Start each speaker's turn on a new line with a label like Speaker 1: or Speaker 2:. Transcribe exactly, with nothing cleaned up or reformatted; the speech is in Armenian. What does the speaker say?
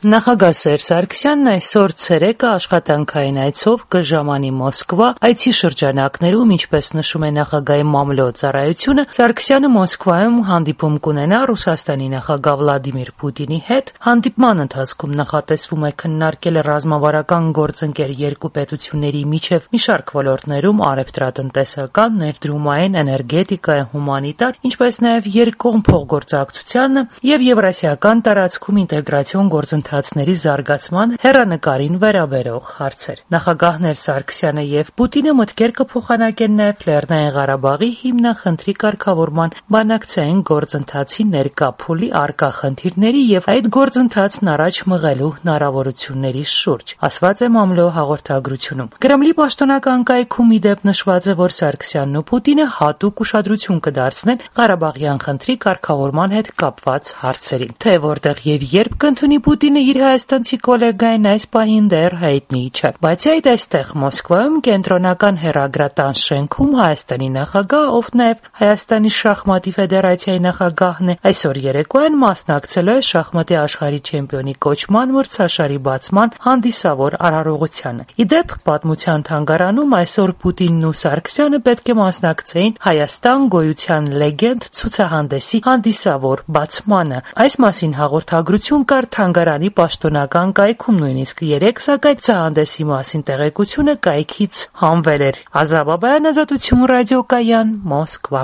Speaker 1: Նախագահ Սերժ Սարգսյանն այսօր ցերեկը աշխատանքային այցով կժամանի Մոսկվա, այցի շրջանակներում, ինչպես նշում է նախագահի մամլո ծառայությունը, Սարգսյանը Մոսկվայում հանդիպում կունենա Ռուսաստանի նախագահ Վլադիմիր Պուտինի հետ։ Հանդիպման ընթացքում նախատեսվում է քննարկել ռազմավարական գործընկեր երկու պետությունների միջև մի շարք ոլորտներում առևտրատնտեսական, ներդրումային, էներգետիկայի, հումանիտար, ինչպես նաև երկկողմ փոխգործակցությանը եւ Եվրասիական տարածքում ինտեգրացիոն գործընթացների զարգացման հեռանկարին վերաբերող հարցեր։ Նախագահներ Սարգսյանը եւ Պուտինը մտքեր կփոխանակեն նաեւ Լեռնային Ղարաբաղի հիմնախնդրի կարգավորման բանակցային գործընթացի ներկա փուլի առկա խնդիրների եւ այդ գործընթացն առաջ մղելու հնարավորությունների շուրջ, ասված է մամլո հաղորդագրությունում։ Կրեմլի պաշտոնական կայքում ի դեպ նշված է, որ Սարգսյանն ու Պուտինը հատուկ ուշադրություն կդարձնեն Ղարաբաղյան խնդրի կարգավորման հետ կապված հարցերին։ Թե որտեղ եւ երբ կընդունի Պուտինը իր հայաստանցի գոլեգային այս պահին դեռ հայտնի չէ։ Բացի այդ, այստեղ Մոսկվայում կենտրոնական հեռագրատան շենքում Հայաստանի նախագահ, ով նաև Հայաստանի շախմատի ֆեդերացիայի նախագահն է, այսօր երեկոյան մասնակցելու է շախմատի աշխարհի չեմպիոնի կոչման մրցաշարի բացման հանդիսավոր արարողությանը։ Ի դեպ, պատմության թանգարանում այսօր Պուտինն ու Սարգսյանը պետք է մասնակցեին Հայաստան գոյության լեգենդ ցուցահանդեսի հանդիսավոր բացմանը։ Այս մասին հաղորդագրություն կար թանգարանի պաշտոնական կայքում նույնիսկ երեկ, սակայն ցուցահանդեսի մասին տեղեկությունը կայքից հանվել էր։ Ազատ Բաբայան, Ազատություն ռադիոկայան, Մոսկվա։